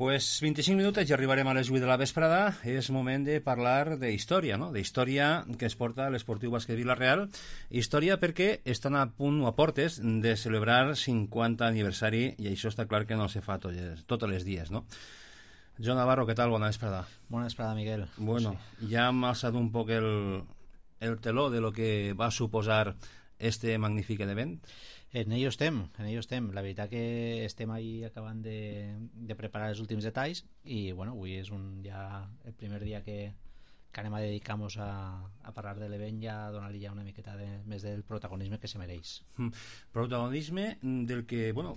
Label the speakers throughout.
Speaker 1: Pues 25 minutets i arribarem a les 8 de la vesprada. És moment de parlar d'història, no? D'història que es porta l'Esportiu Bàsquet Vila-real. Història perquè estan a punt o a portes de celebrar 50 aniversari i això està clar que no se fa tots els dies, no? Joan Navarro, què tal? Bona vesprada.
Speaker 2: Bona vesprada, Miguel.
Speaker 1: Bueno, ja hem alçat un poc el teló de lo que va suposar este magnífic event.
Speaker 2: En ello estem. La veritat que estem ahí acabant de preparar els últims detalls i bueno, avui és ja el primer dia que anem a dedicar-nos a parlar de l'event i a donar-li ja una miqueta més del protagonisme que se mereix.
Speaker 1: Protagonisme del que, bueno,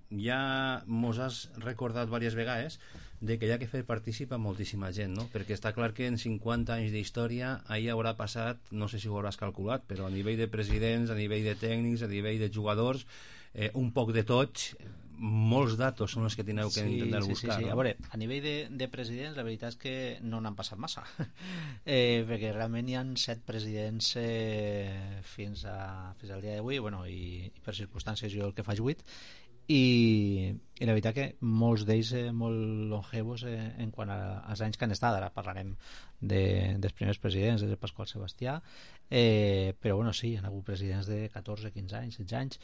Speaker 1: ja mos has recordat diverses vegades de que hi ha que fer participar moltíssima gent, no? Perquè està clar que en 50 anys d'història ahir haurà passat, no sé si ho hauràs calculat, però a nivell de presidents, a nivell de tècnics, a nivell de jugadors, un poc de tots, molts datos són els que teniu que intentar buscar.
Speaker 2: Sí. No? A veure, a nivell de presidents la veritat és que no n'han passat massa perquè realment hi ha 7 presidents fins al dia d'avui, bueno, i per circumstàncies jo el que faig 8 i la veritat que molts d'ells molt longevos en quant als anys que han estat. Ara parlarem dels primers presidents, des de Pasqual Sebastià, però bueno, sí, hi ha hagut presidents de 14, 15 anys, 16 anys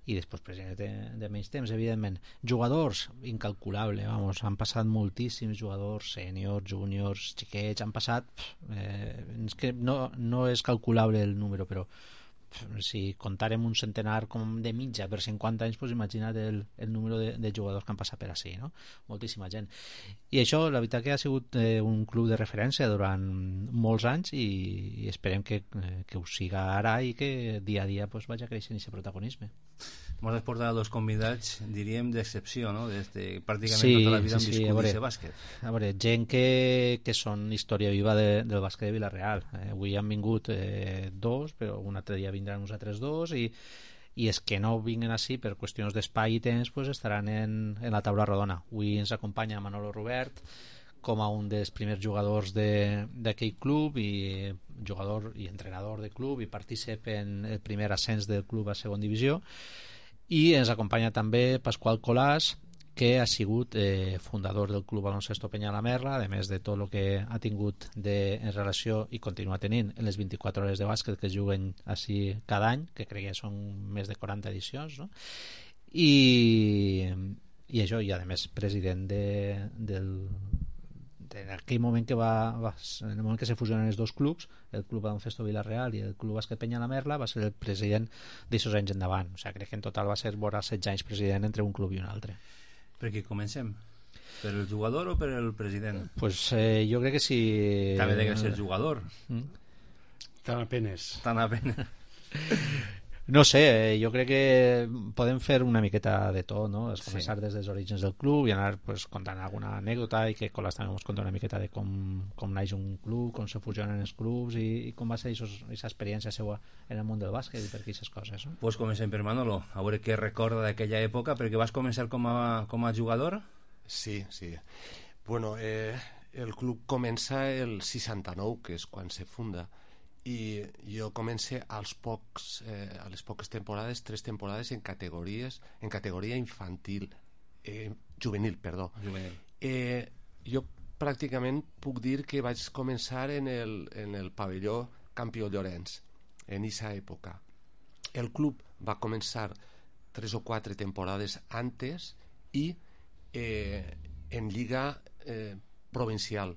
Speaker 2: i després presidents de menys temps, evidentment. Jugadors, incalculable, han passat moltíssims jugadors, sèniors, júniors, xiquets, han passat és que no és calculable el número, però si comptàrem un centenar com de mitja per 50 anys, doncs imagina't el número de jugadors que han passat per ací, no? Moltíssima gent. I això, la veritat que ha sigut un club de referència durant molts anys i esperem que ho siga ara i que dia a dia doncs, vagi creixent aquest protagonisme.
Speaker 1: Mos has portat dos convidats, diríem, d'excepció, no? Pràcticament tota la vida han viscut aquest bàsquet.
Speaker 2: A veure, gent que són història viva del bàsquet de Vila-real. Avui han vingut dos, però un altre dia vindran uns altres dos i els que no vinguen així per qüestions d'espai i temps pues estaran en la taula rodona. Avui ens acompanya Manolo Robert com a un dels primers jugadors d'aquell club i jugador i entrenador del club i partícip en el primer ascens del club a segona divisió, i ens acompanya també Pasqual Colàs, que ha sigut fundador del Club Baloncesto Peña la Merla, a més de tot el que ha tingut en relació i continua tenint en les 24 hores de bàsquet que es juguen així cada any, que crec que són més de 40 edicions, no? I això, i a més president en aquell moment en el moment que se fusionen els dos clubs, el Club Baloncesto Vila-real i el Club Bàsquet Peña la Merla, va ser el president d'aixòs anys endavant. O sigui, crec que en total va ser vora 16 anys president entre un club i un altre.
Speaker 1: Per què comencem? Per el jugador o per el president?
Speaker 2: Pues jo crec que sí.
Speaker 1: També de que ser jugador.
Speaker 3: Tan apenes.
Speaker 2: No sé, jo crec que podem fer una miqueta de tot, no? És començar des dels orígens del club i anar pues, contant alguna anècdota i que Colàs també ens conta una miqueta de com naix un club, com se fusionen els clubs i com va ser aquesta experiència seva en el món del bàsquet i per aquestes coses, no?
Speaker 1: Pues comencem per Manolo, a veure què recorda d'aquella època, perquè vas començar com a jugador?
Speaker 4: Sí. Bueno, el club comença el 69, que és quan se funda, i jo comencé a les poques temporades, 3 temporades en categoria infantil juvenil. Jo pràcticament puc dir que vaig començar en el pavelló Campió Llorenç en aquesta època. El club va començar 3 o 4 temporades antes i en lliga provincial.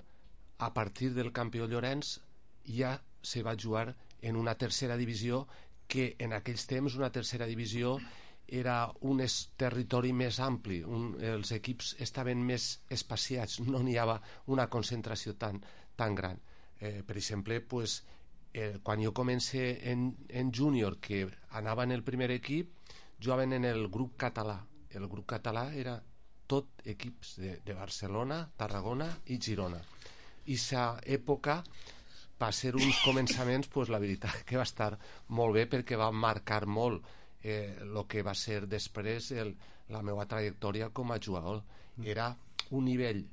Speaker 4: A partir del Campió Llorenç ja se va jugar en una tercera divisió, que en aquells temps una tercera divisió era un territori més ampli, els equips estaven més espaciats, no n'hi havia una concentració tan gran. Per exemple, pues, quan jo comencé en júnior, que anava en el primer equip, jugaven en el grup català. El grup català era tot equips de Barcelona, Tarragona i Girona. I aquesta època va ser uns començaments, pues, la veritat que va estar molt bé perquè va marcar molt el que va ser després la meva trajectòria com a jugador. Era un nivell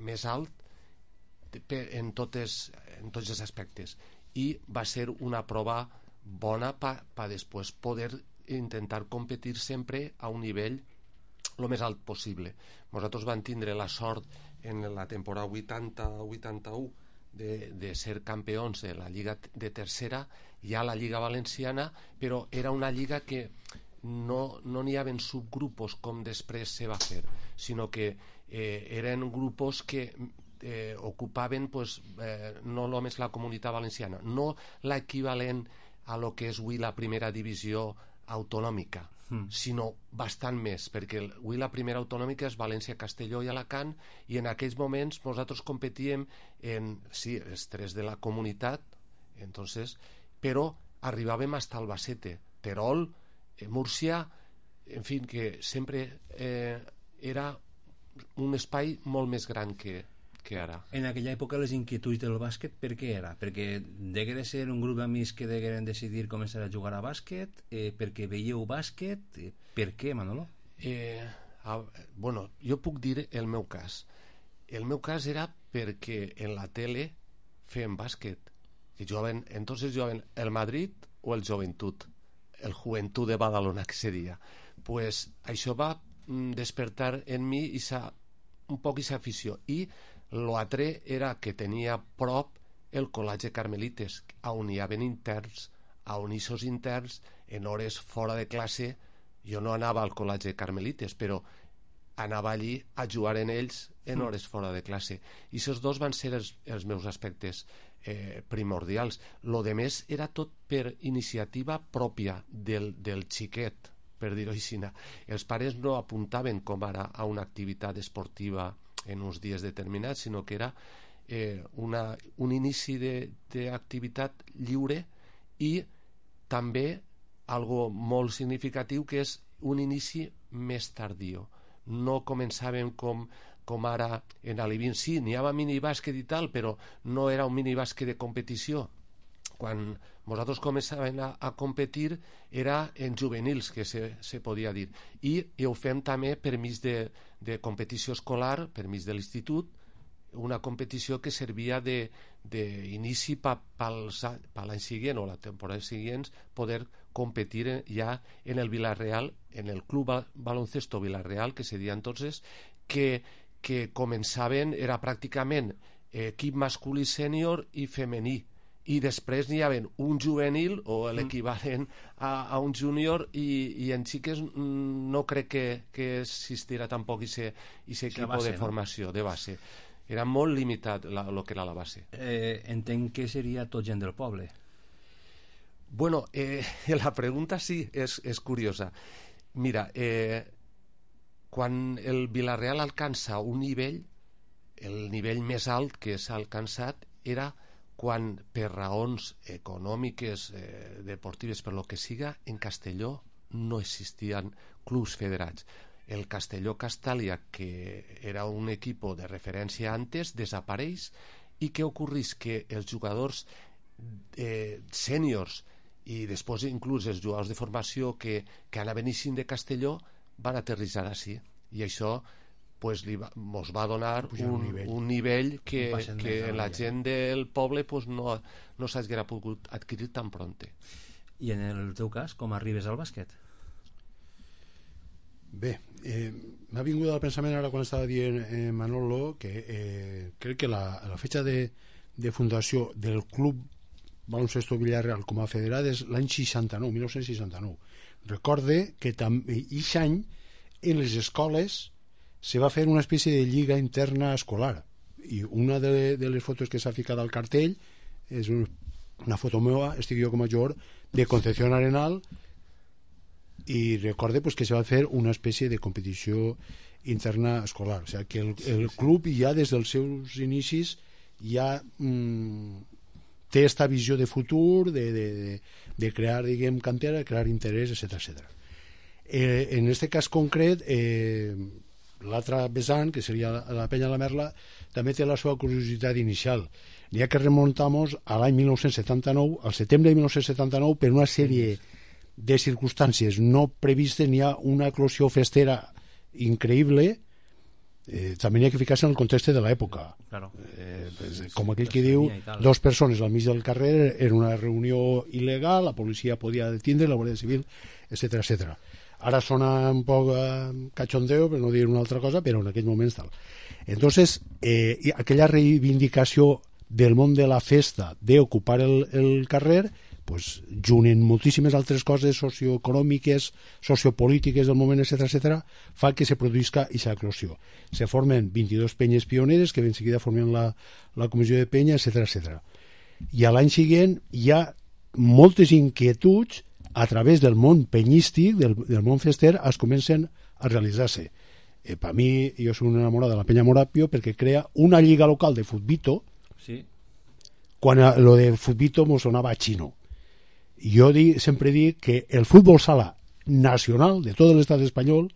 Speaker 4: més alt en tots els aspectes i va ser una prova bona per després poder intentar competir sempre a un nivell el més alt possible. Nosaltres vam tindre la sort en la temporada 80-81 de ser campions de la Lliga de Tercera i a la Lliga Valenciana, però era una lliga que no n'hi havia subgrupos com després se va fer, sinó que eren grupos que ocupaven pues, no només la comunitat valenciana, no l'equivalent a lo que és avui la primera divisió autonòmica, sinó bastant més, perquè avui la primera autonòmica és València, Castelló i Alacant, i en aquells moments nosaltres competíem en, sí, els tres de la comunitat, entonces, però arribàvem fins a Albacete, Terol, Múrcia, en fi, que sempre era un espai molt més gran que ara.
Speaker 1: En aquella època les inquietuds del bàsquet per què era? Perquè degué de ser un grup d'amics que degueren decidir començar a jugar a bàsquet, perquè veieu bàsquet, per què, Manolo?
Speaker 4: Bueno, jo puc dir el meu cas. El meu cas era perquè en la tele feien bàsquet. Entonces jugaven el Madrid o el Joventut, el Joventut de Badalona, que seria. Pues això va despertar en mi un poc aquesta afició. I l'altre era que tenia prop el Col·legi Carmelites, on hi havia interns, on aquests interns, en hores fora de classe, jo no anava al Col·legi Carmelites, però anava allí a jugar en ells en hores fora de classe. I aquests dos van ser els meus aspectes primordials. Lo de més era tot per iniciativa pròpia del xiquet, per dir-ho així. Els pares no apuntaven com ara a una activitat esportiva en uns dies determinats, sinó que era un inici d'activitat lliure i també algo molt significatiu, que és un inici més tardiu. No començàvem com ara en Alivín. Sí, n'hi havia minibàsquet i tal, però no era un minibàsquet de competició. Quan nosaltres començàvem a competir era en juvenils, que se podia dir. I ho fem també permís de competició escolar, permís de l'institut, una competició que servia d'inici per l'any següent o la temporada següent poder competir ja en el Villarreal, en el Club Baloncesto Villarreal, que se deia entonces, que començaven, era pràcticament equip masculí sènior i femení, i després n'hi havia un juvenil o l'equivalent a un júnior, i en xiques no crec que existirà tampoc aquest equip de formació de base. Era molt limitat el que era la base.
Speaker 1: Entenc que seria tot gent del poble.
Speaker 4: Bueno, la pregunta sí és curiosa. Mira, quan el Villarreal alcança un nivell, el nivell més alt que s'ha alcançat era quan, per raons econòmiques, deportives, per lo que siga, en Castelló no existien clubs federats. El Castelló Castàlia, que era un equip de referència antes, desapareix, i què ocorreix? Que els jugadors sèniors i després inclús els jugadors de formació que anaven eixint de Castelló van aterrissar així, i això pues, mos va donar un nivell que la gent del poble pues, no s'haguera pogut adquirir tan pronte.
Speaker 1: I en el teu cas, com arribes al bàsquet?
Speaker 3: Bé, m'ha vingut al pensament ara quan estava dient Manolo que crec que la fetge de fundació del Club Baloncesto Villarreal com a federat és l'any 69, 1969. Recorde que aquest any en les escoles se va fer una espècie de lliga interna escolar, i una de les fotos que s'ha ficat al cartell és una foto meva, estic jo com a jugador de Concepción Arenal, i recorde pues, que se va fer una espècie de competició interna escolar, o sigui que el club ja des dels seus inicis ja té esta visió de futur, de crear, diguem, cantera, crear interès, etc. En este cas concret, l'altre vessant, que seria la Penya la Merla, també té la seva curiositat inicial. N'hi ha que remuntar-nos a l'any 1979, al setembre de 1979, per una sèrie de circumstàncies no previstes. N'hi ha una eclosió festera increïble. També n'hi ha que ficar-se en el context de l'època.
Speaker 1: Claro.
Speaker 3: Com aquell que diu, dos persones al mig del carrer, era una reunió il·legal, la policia podia detindre, la Guàrdia Civil, etc. Ara sona un poc cachondeo, per no dir una altra cosa, però en aquell moment tal. Entonces, aquella reivindicació del món de la festa, d'ocupar el carrer, pues, junt moltíssimes altres coses socioeconòmiques, sociopolítiques del moment, etc., fa que se produïsca aquesta eclosió. Se formen 22 penyes pioneres que ben seguida formen la comissió de penya, etc. I a l'any següent hi ha moltes inquietuds a través del món penyístic, del món fester, es comencen a realitzar-se. Per mi, jo soc un enamorat de la penya Morapio perquè crea una lliga local de futbito,
Speaker 1: Sí.
Speaker 3: quan lo de futbito me sonava a xino. Jo sempre dic que el futbol sala nacional de tot l'estat espanyol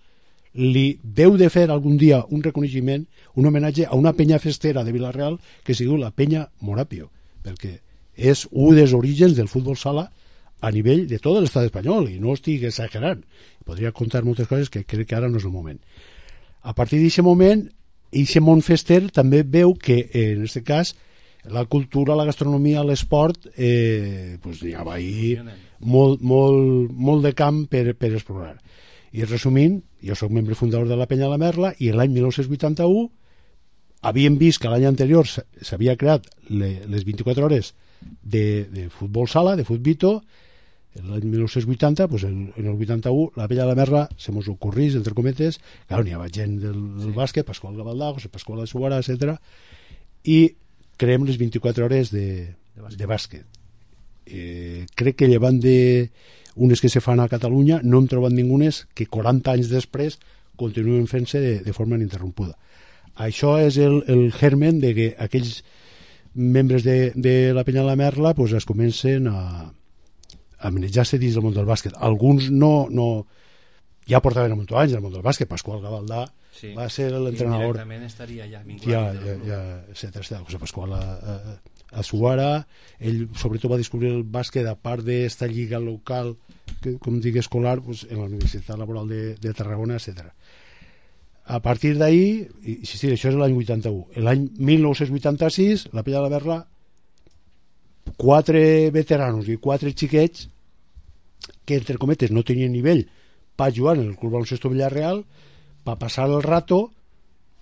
Speaker 3: li deu de fer algun dia un reconeixement, un homenatge a una penya festera de Vila-real que es diu la penya Morapio, perquè és un dels orígens del futbol sala a nivell de tot l'estat espanyol, i no estic exagerant. Podria contar moltes coses que crec que ara no és el moment. A partir d'aquest moment, aquest món fester també veu que, en aquest cas, la cultura, la gastronomia, l'esport, pues hi ha molt de camp per explorar. I resumint, jo soc membre fundador de la Penya la Merla, i l'any 1981 havíem vist que l'any anterior s'havia creat les 24 hores de futbol sala, de futbito. L'any 1980, pues en el 81, la Penya la Merla se mos ocorrís, entre cometes, clar, n'hi havia gent del bàsquet, Pasqual Gavaldà, José Pasqual de Suara, etc. I creem les 24 hores de bàsquet. Crec que llevant d'unes que se fan a Catalunya no hem trobat ningunes que 40 anys després continuen fent-se de forma ininterrompuda. Això és el germen de que aquells membres de la Penya la Merla pues, es comencen a manejar-se dins del món del bàsquet. Alguns no ja portaven molts anys al món del bàsquet. Pasqual Gavaldà va ser l'entrenador.
Speaker 1: Directament estaria ja vinculat.
Speaker 3: Ja, José Pasqual a Suara, ell sobretot va descobrir el bàsquet a part d'esta lliga local, que, com dic, escolar, pues, en la Universitat Laboral de Tarragona, etc. A partir d'ahí, sí, això és l'any 81. L'any 1986, la Penya de la Merla, 4 veteranos i 4 xiquets que, entre cometes, no tenien nivell per jugar en el Club Baloncesto Villarreal, per passar el rato,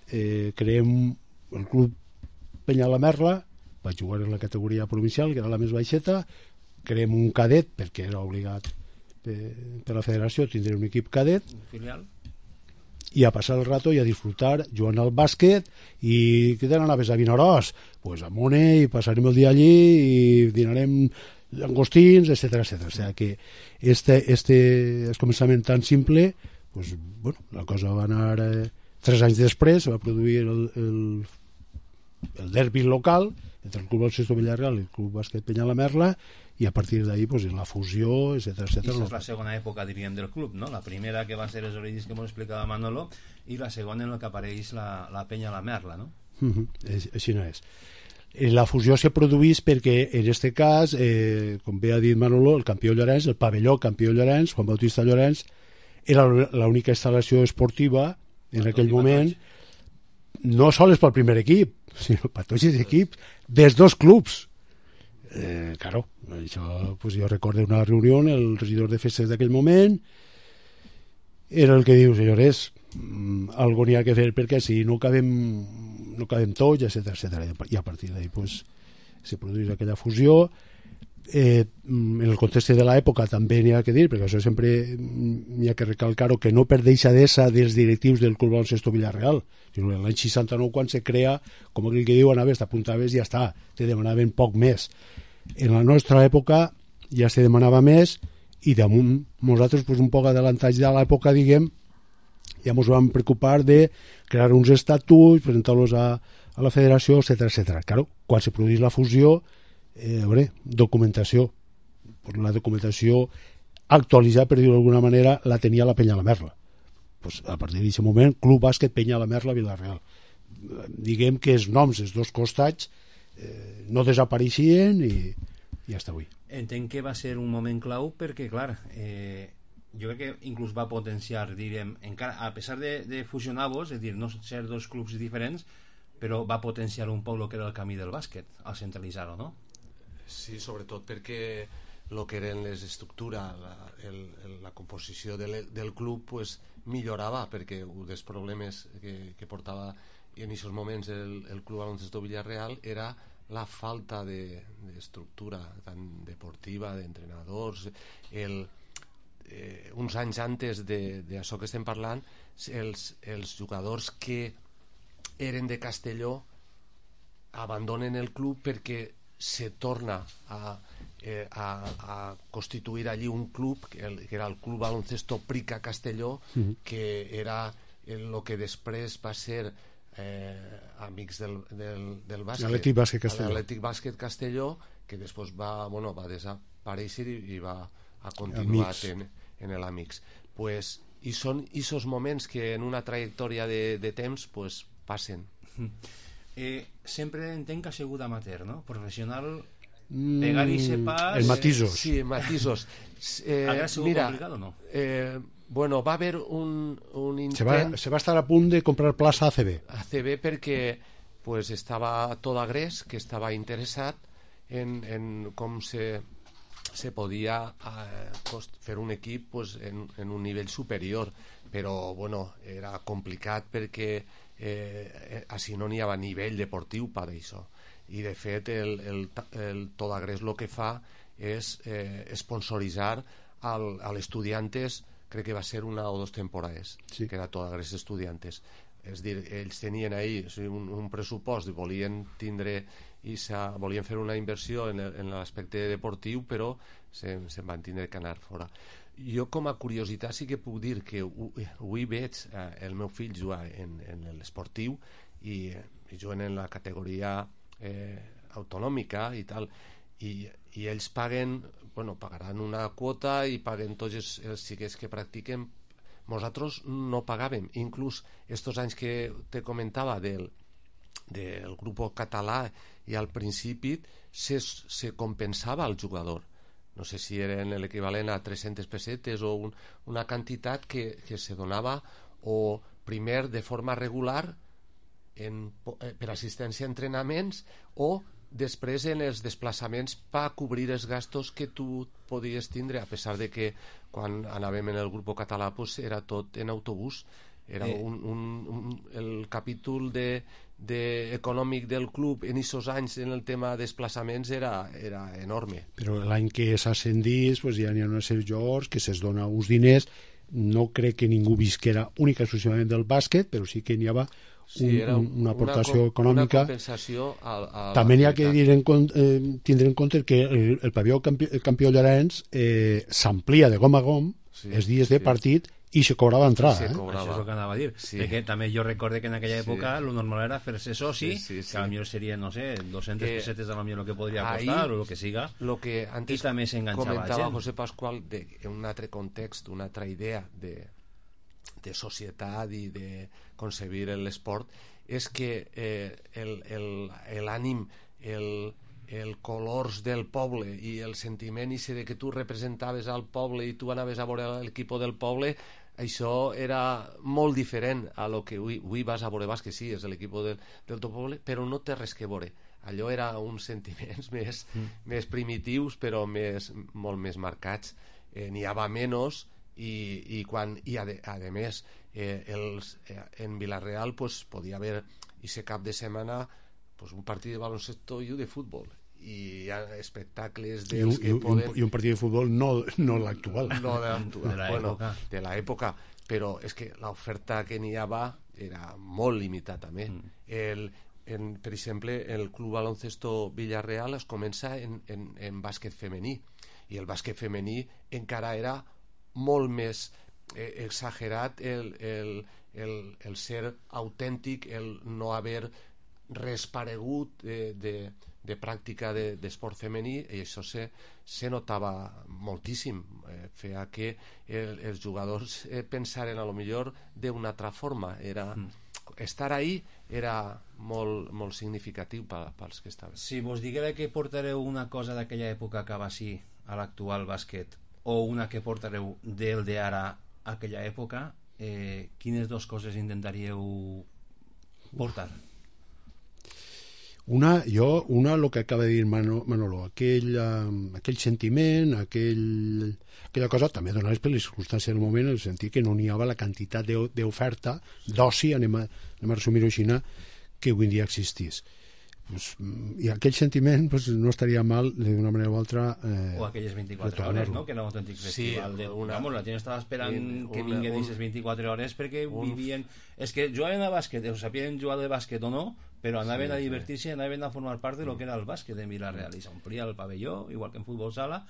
Speaker 3: creem el Club Penya la Merla, va jugar en la categoria provincial, que era la més baixeta, creem un cadet, perquè era obligat per la federació tindre un equip cadet,
Speaker 1: filial,
Speaker 3: i a passar el rato i a disfrutar jugant al bàsquet. I què tenen anaves a Vinaròs? Pues a Mone, i passarem el dia allí i dinarem llangostins, etc. O sea que este començament tan simple, pues, bueno, la cosa va anar 3 anys després, va produir el derbi local entre el Club Baloncesto Villarreal i el Club Bàsquet Penya la Merla, i a partir d'ahí pues, la fusió, etc.
Speaker 1: I això és la segona època, diríem, del club, no? La primera que va ser els orígens que ens explicava Manolo, i la segona en la que apareix la Penya la Merla, no?
Speaker 3: Així no és. La fusió se produeix perquè, en aquest cas, com bé ha dit Manolo, el campió Llorenç, el pavelló campió Llorenç, Juan Bautista Llorenç, era l'única instal·lació esportiva en aquell moment, no sols pel primer equip, sinó per tots els equips dels dos clubs. Claro, això, pues jo recordo una reunió, el regidor de festes d'aquell moment era el que diu, senyores, algo n'hi ha que fer perquè si no cabem tots, etc. I a partir d'ahí pues, se produeix aquella fusió. En el context de l'època també n'hi ha que dir, perquè això sempre n'hi ha que recalcar-ho, que no per deixadesa dels directius del Club Baloncesto Villarreal, sinó l'any 69 quan se crea, com aquell que diu, anaves, t'apuntaves i ja està, te demanaven poc més. En la nostra època ja se demanava més, i damunt nosaltres pues, un poc adelantats ja a l'època, diguem, ja ens vam preocupar de crear uns estatuts, presentar-los a la federació, etc. Claro, quan se produeix la fusió, documentació, pues la documentació actualitzada, per dir-ho d'alguna manera, la tenia la Penya la Merla. Pues a partir d'aquest moment, Club Bàsquet Penya la Merla Vila-real. Diguem que els noms dels dos costats no desapareixien i ja està avui.
Speaker 1: Entenc que va ser un moment clau perquè, clar, jo crec que inclús va potenciar, diríem, encara, a pesar de fusionar-vos, és a dir, no ser dos clubs diferents, però va potenciar un poc el que era el camí del bàsquet al centralitzar-ho, no?
Speaker 4: Sí, sobretot perquè el que eren les estructures, la composició del club pues, millorava, perquè un dels problemes que portava en aquests moments el Club Baloncesto Villarreal era la falta d'estructura tant deportiva, d'entrenadors. Uns anys antes d'això que estem parlant, els jugadors que eren de Castelló abandonen el club perquè se torna a constituir allí un club que era el Club Baloncesto Prica Castelló, que era el que després va ser amics del bàsquet,
Speaker 3: l'Atlètic
Speaker 4: Bàsquet Castelló, que després va desaparèixer i va a continuar en l'Amics. Pues, i són aquests moments que en una trajectòria de temps pues, passen.
Speaker 1: Sempre entenc que ha sigut amateur, no? Professional, pegar-hi se pas...
Speaker 3: En matisos.
Speaker 4: Sí, en matisos.
Speaker 1: ¿Ha sigut complicat o no?
Speaker 4: Bueno, va haver un intent...
Speaker 3: Se va estar a punt de comprar plaça a ACB.
Speaker 4: Perquè pues, estava tot Agrés, que estava interessat en com se podia fer un equip pues, en un nivell superior, però bueno, era complicat perquè així no n'hi havia nivell deportiu per això. I de fet el Tot Agrés el que fa és sponsoritzar a l'Estudiantes, crec que va ser una o 2 temporades, sí. Que era Tot Agrés Estudiantes. És dir, ells tenien ahí un pressupost, volien fer una inversió en l'aspecte deportiu, però se'n van tindre que anar fora. Jo com a curiositat sí que puc dir que avui veig el meu fill jugar en l'esportiu i juguen en la categoria autonòmica i tal, i ells pagaran una quota i paguen tots els xiquets que practiquen. Nosaltres no pagàvem, inclús estos anys que te comentava del grup català, i al principi se compensava al jugador, no sé si eren l'equivalent a 300 pessetes o una quantitat que se donava o primer de forma regular per assistència a entrenaments o després en els desplaçaments per cobrir els gastos que tu podies tindre, a pesar de que quan anàvem en el grup català pues, era tot en autobús. Era el capítol econòmic del club en aquests anys en el tema de desplaçaments era enorme.
Speaker 3: Però l'any que s'ascendís pues, ja n'hi ha una sèrie de jugadors que se'ls dona uns diners. No crec que ningú visquera única exclusivament del bàsquet, però sí que n'hi havia una aportació econòmica.
Speaker 4: Una compensació
Speaker 3: també n'hi ha que tindre en compte que el pavelló Campió Llorenç s'amplia de gom a gom els dies de partit i se cobrava entrada.
Speaker 1: Això és el que anava a dir. Perquè també jo recorde que en aquella època lo normal era fer-se soci, que potser serien, no sé, 200 pessetes a lo millor el que podria costar o el que siga,
Speaker 4: que antes
Speaker 1: i també s'enganxava
Speaker 4: comentava José Pascual en un altre context, una altra idea de societat i de concebir l'esport, és que l'ànim, el colors del poble i el sentiment de que tu representaves al poble i tu anaves a veure l'equip del poble, això era molt diferent a lo que avui vas a veure bàsquet, sí, és l'equip del teu poble, però no té res que veure. Allò era uns sentiments més primitius, però molt més marcats. N'hi havia menys i a més en Vilareal pues, podia haver aquest cap de setmana pues, un partit de baloncesto i un de futbol, i hi ha espectacles dels que poden...
Speaker 3: I un partit de futbol no l'actual.
Speaker 4: No de l'època, però és que l'oferta que n'hi havia era molt limitada també. Per exemple, el Club Baloncesto Villarreal es comença en bàsquet femení, i el bàsquet femení encara era molt més exagerat el ser autèntic, el no haver res paregut de pràctica d'esport femení, i això se notava moltíssim. Feia que els jugadors pensaren a lo millor d'una altra forma. Estar ahí era molt significatiu pels que estaven.
Speaker 1: Si vos diguera que portareu una cosa d'aquella època que va així a l'actual bàsquet, o una que portareu del d'ara a aquella època, quines dues coses intentaríeu portar?
Speaker 3: Una, el que acaba de dir Manolo, aquell sentiment, aquella cosa, també donades per les circumstàncies del moment, en el sentit que no n'hi havia la quantitat d'oferta, d'oci, anem a resumir-ho així, que avui en dia existís. Pues, i aquell sentiment pues, no estaria mal d'una manera o altra
Speaker 1: o aquelles 24 hores, no? Que era un autèntic festival vamos, la gent estava esperant que vinguin aquestes 24 hores perquè vivien, és que jugaven a bàsquet o sabien jugar de bàsquet o no, però anaven a divertir-se, anaven a formar part de lo que era el bàsquet en Vila-real i s'omplia el pavelló, igual que en futbol sala.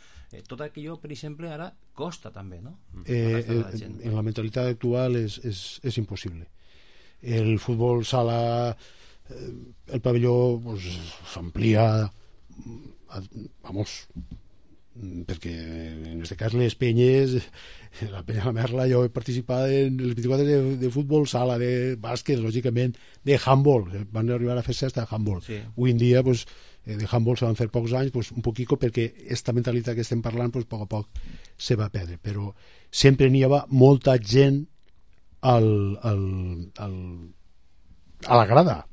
Speaker 1: Tot aquello, per exemple, ara costa també, no?
Speaker 3: En la mentalitat actual és impossible. El futbol sala, el pavelló pues, s'amplia, vamos, perquè en aquest cas les penyes, la penya La Merla, jo he participat en les 24 de futbol sala, de bàsquet, lògicament, de handball, van arribar a fer cesta de handball. Sí. Avui en dia, pues, de handball se van fer pocs anys, pues, un poquito perquè esta mentalitat que estem parlant, pues, poc a poc se va perdre, però sempre n'hi havia molta gent a la grada,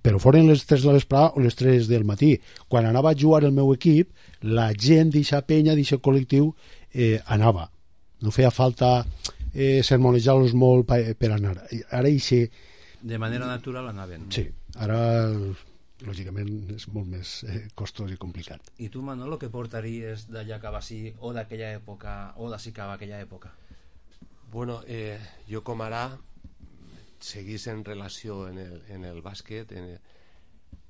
Speaker 3: però foren les 3 de l'esprà o les 3 del matí. Quan anava a jugar el meu equip, la gent d'aquesta penya, d'aquest col·lectiu, anava. No feia falta sermonejar-los molt per anar. Ara eixe...
Speaker 1: De manera natural anaven.
Speaker 3: Sí, ara lògicament és molt més costós i complicat.
Speaker 1: I tu, Manolo, què portaries d'allà que va ser o d'aquella època o d'ací que va aquella època?
Speaker 4: Bueno, jo com ara seguís en relació en el bàsquet,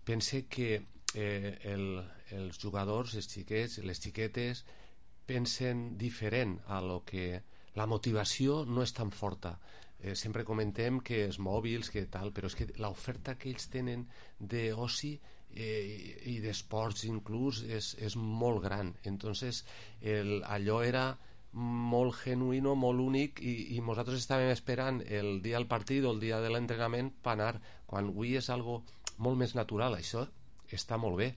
Speaker 4: pense que els jugadors, els xiquets, les xiquetes pensen diferent a lo que la motivació no és tan forta. Sempre comentem que els mòbils, que tal, però és que l'oferta que ells tenen d'oci i d'esports inclús és molt gran. Entonces allò era molt genuïno, molt únic i nosaltres estàvem esperant el dia del partit o el dia de l'entrenament per anar, quan avui és algo molt més natural. Això està molt bé,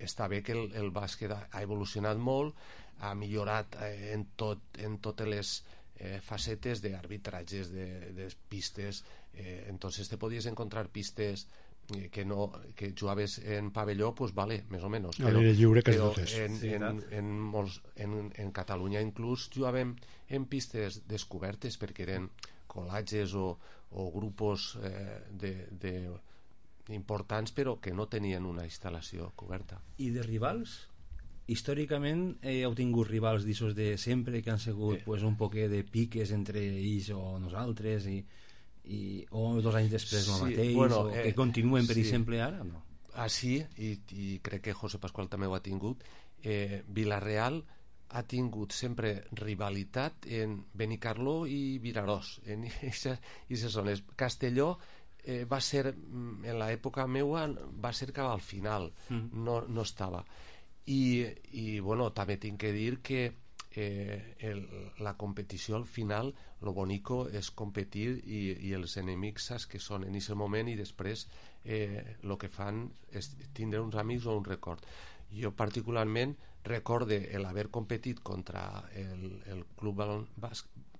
Speaker 4: està bé que el bàsquet ha evolucionat molt, ha millorat en totes les facetes d'arbitratges, de pistes, entonces te podies encontrar pistes que jugaves en pavelló, pues vale, més o menys, però en Catalunya inclús jugàvem en pistes descobertes perquè eren col·latges o grupos importants però que no tenien una instal·lació coberta.
Speaker 1: I de rivals? Històricament heu tingut rivals d'aixòs de sempre que han sigut pues, un poquet de piques entre ells o nosaltres o 2 anys després el mateix, bueno, o que continuen per exemple ara, no?
Speaker 4: Sí, i crec que José Pascual també ho ha tingut. Vila-real ha tingut sempre rivalitat en Benicarló i Vinaròs, en aquestes zones. Castelló va ser, en l'època meua, va ser cap al final, no estava. I bueno, també tinc que dir que la competició al final, lo bonico és competir i els enemics saps que són en aquest moment i després el que fan és tindre uns amics o un record. Jo particularment recorde l'haver competit contra el Club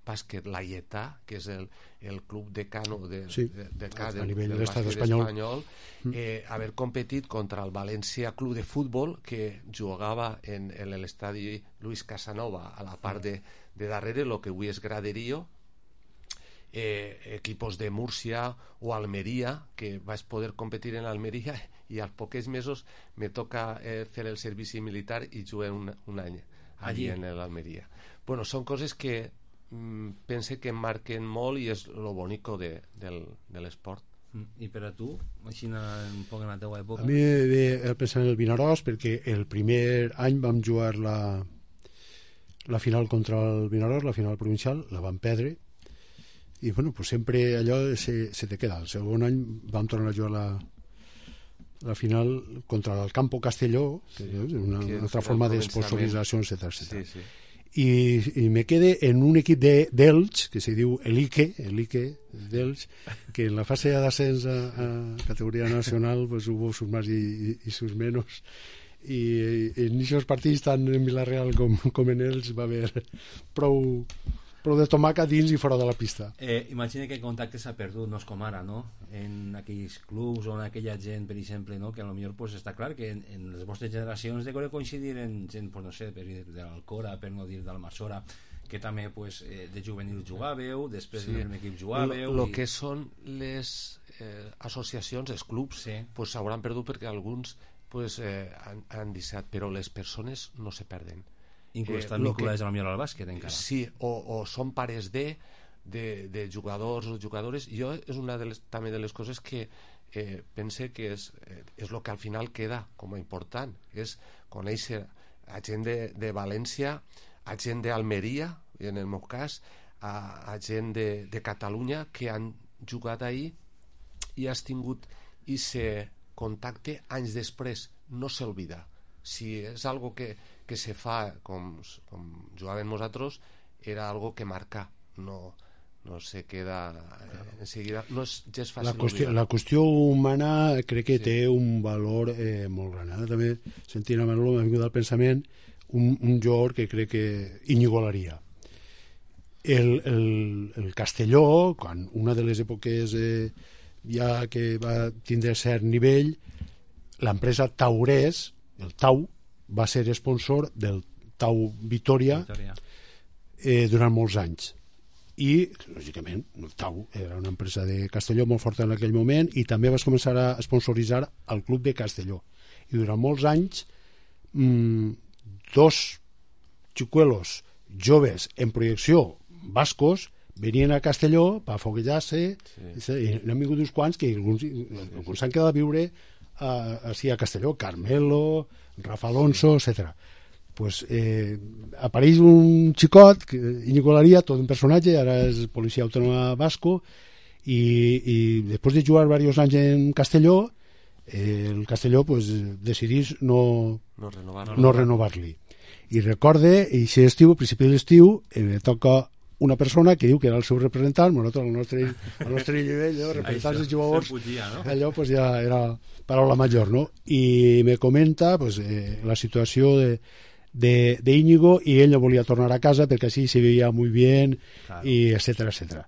Speaker 4: Bàsquet Laietà, que és el club decano del bàsquet espanyol, haver competit contra el València Club de Futbol, que jugava en l'estadi Luis Casanova a la part de darrere, el que avui és graderío, equipos de Múrcia o Almeria, que vaig poder competir en Almeria i als pocs mesos me toca fer el servici militar i jugué un any allí en l'Almeria. Bueno, són coses que pense que em marquen molt i és lo bonico de l'esport.
Speaker 1: I per a tu, així un poc en la teua època?
Speaker 3: A mi ve pensar en el Vinaròs perquè el primer any vam jugar la final contra el Vinaròs, la final provincial, la vam perdre i bueno, pues sempre allò se te queda. El segon any vam tornar a jugar la final contra el Campo Castelló, que és una altra forma d'esponsorització, etc. Sí, sí. I me quede en un equip d'Elx que se diu Elique d'Elx, que en la fase d'ascens a categoria nacional pues, hubo sus más y sus menos, i en aquests partits tant en Vila-real com en Elx va haver prou prou de tomàquet dins i fora de la pista.
Speaker 1: Imagina que el contacte s'ha perdut, no és com ara, no? En aquells clubs o en aquella gent, per exemple, no? Que potser pues, està clar que en les vostres generacions de coincidir en gent, pues, no sé, per dir de l'Alcora, per no dir d'Almassora, que també pues, de juvenil jugàveu, després sí. En equip jugàveu...
Speaker 4: El que són les associacions, els clubs,
Speaker 1: sí.
Speaker 4: Pues, s'hauran perdut perquè alguns pues, han deixat, però les persones no se perden.
Speaker 1: Inclús estan vinculades a la millor al bàsquet encara.
Speaker 4: Sí, o són pares de jugadors o jugadores. Jo és una també de les coses que pense que és el que al final queda com a important, és conèixer a gent de València, a gent d'Almeria, en el meu cas, a gent de Catalunya que han jugat ahir i has tingut ese contacte anys després, no s'olvida. Si és algo que se fa com jugàvem nosaltres, era algo que marca, no se queda enseguida, no és gens fàcil.
Speaker 3: La qüestió humana crec que té un valor molt gran. Ara també, sentint a Manolo, m'ha vingut al pensament un jugador que crec que Íñigo Laría. El Castelló, quan una de les èpoques ja que va tindre cert nivell, l'empresa Taurès, el Tau, va ser sponsor del Tau Vitoria. Durant molts anys. I, lògicament, el Tau era una empresa de Castelló molt forta en aquell moment i també vas començar a sponsoritzar el club de Castelló. I durant molts anys dos xicuelos joves en projecció bascos venien a Castelló per foguejar-se i n'han vingut uns quants que alguns s'han quedat a viure a Castelló, Carmelo, Rafa Alonso, etc. Pues apareix un xicot, Íñigo Laría, tot un personatge, ara és policia autònoma basco, i després de jugar diversos anys en Castelló, el Castelló pues, decidís no renovar-li. I recorde, i si estiu, a principi de l'estiu, toca una persona que diu que era el seu representant, nosaltres al nostre nivell, representants dels jugadors, allò pues, ja era paraula major, no? I me comenta pues, la situació de Íñigo i ell no volia tornar a casa perquè així se veia molt bé, claro. I etcètera, etcètera.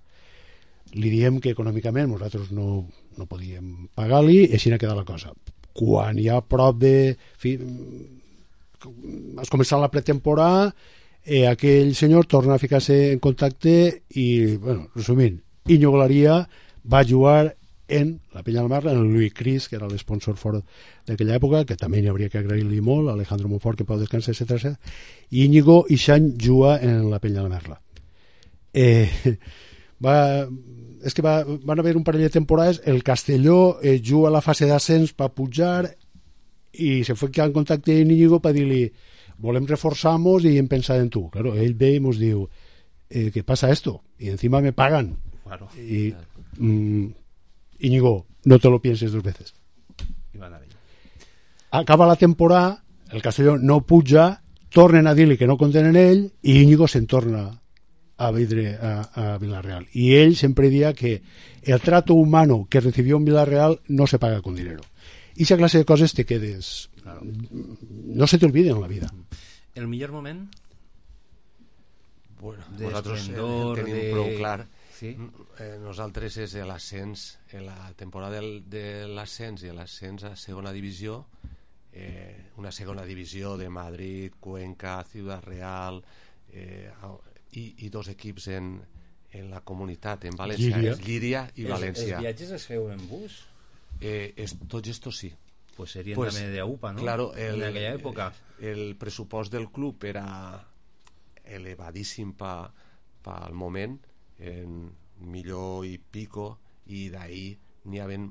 Speaker 3: Li diem que econòmicament nosaltres no podíem pagar-li i així n'ha quedat la cosa. Quan ja a prop de... has començat la pretemporada, aquell senyor torna a ficar-se en contacte i, bueno, resumint, Íñigo Laría va jugar en la Peña de la Merla, en el Louis Cris, que era l'esponsor fort d'aquella època, que també n'hi hauria que agrair-li molt, Alejandro Monfort, que pot descansar, etc. I Íñigo Ixany juga en la Peña de la Merla. És que van haver un parell de temporades, el Castelló juga a la fase d'ascens per pujar i se fue en contacte amb Íñigo per dir-li volem reforçar-nos i hem pensat en tu. Claro, ell ve i ens diu ¿qué pasa esto? Y encima me pagan. Claro. Y Íñigo, no te lo pienses dos veces. Acaba la temporada, el Castelló no puja, tornen a dir-li que no compten en ell i Íñigo se'n torna a vindre a Villarreal. Y él siempre decía que el trato humano que recibió en Villarreal no se paga con dinero. Y esa clase de cosas te quedes... Claro. No se te olviden en la vida.
Speaker 1: El millor moment?
Speaker 4: Bueno, nosaltres tenim prou clar. Sí? Nosaltres és l'ascens, la temporada de l'ascens i l'ascens a segona divisió, una segona divisió de Madrid, Cuenca, Ciudad Real, i dos equips en la comunitat, en València, Llíria i València.
Speaker 1: Els viatges es feu en bus?
Speaker 4: Tots estos sí.
Speaker 1: Pues serien també de UPA, ¿no?
Speaker 4: Claro,
Speaker 1: en aquella època.
Speaker 4: El pressupost del club era elevadíssim pel moment, en milió i pico, i d'ahir n'hi havia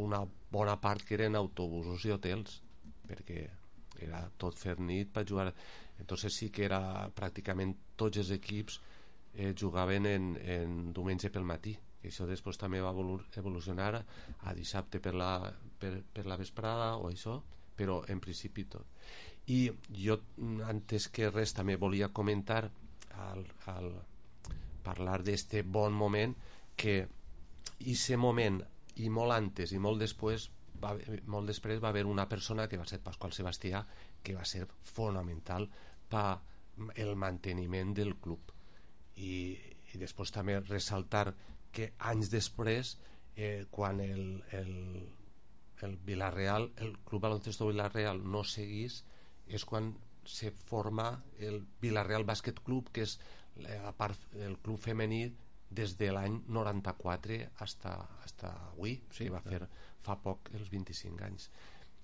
Speaker 4: una bona part que eren autobusos i hotels, perquè era tot fer nit per jugar. Entonces sí que era pràcticament tots els equips jugaven en diumenge pel matí. I això després també va evolucionar a dissabte per la vesprada o això, però en principi tot. I jo, antes que res, també volia comentar al parlar d'este bon moment, que aquest moment i molt antes i molt després va haver una persona que va ser Pasqual Sebastià, que va ser fonamental per el manteniment del club. i després també ressaltar que anys després quan el Villarreal, el Club Baloncesto Villarreal no seguís, és quan se forma el Villarreal Bàsquet Club, que és a part el club femení des de l'any 94 hasta avui, sí, que va fer fa poc els 25 anys.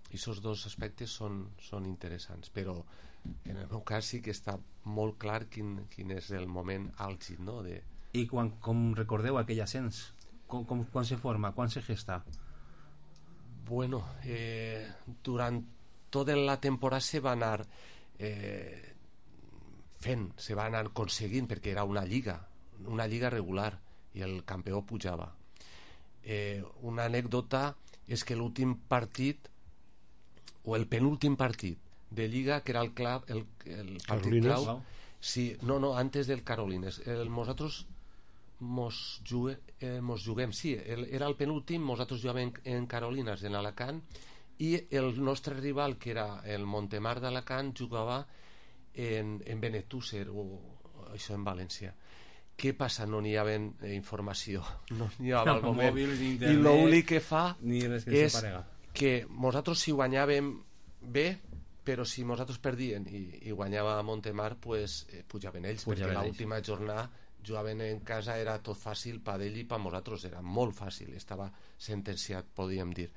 Speaker 4: I aquests dos aspectes són interessants, però en el meu cas sí que està molt clar quin és el moment àlgid, no?
Speaker 1: I com recordeu aquell ascens? Quan se forma? Quan se gesta?
Speaker 4: Bueno, durant tota la temporada se va anar fent, se va anar aconseguint, perquè era una lliga regular i el campió pujava. Una anècdota és que l'últim partit o el penúltim partit de lliga, que era el partit clau, sí, no, antes del Carolines, nosaltres mos juguem, sí, era el penúltim, nosaltres jugàvem en Carolinas, en Alacant, i el nostre rival, que era el Montemar d'Alacant, jugava en Benetússer, o això en València. Què passa? No n'hi havia informació, no n'hi havia al moment, i l'únic que fa és que nosaltres si guanyàvem bé, però si nosaltres perdien i guanyava Montemar, pues pujaven ells, perquè l'última jornada jugaven en casa, era tot fàcil per ell i per nosaltres era molt fàcil, estava sentenciat, podríem dir.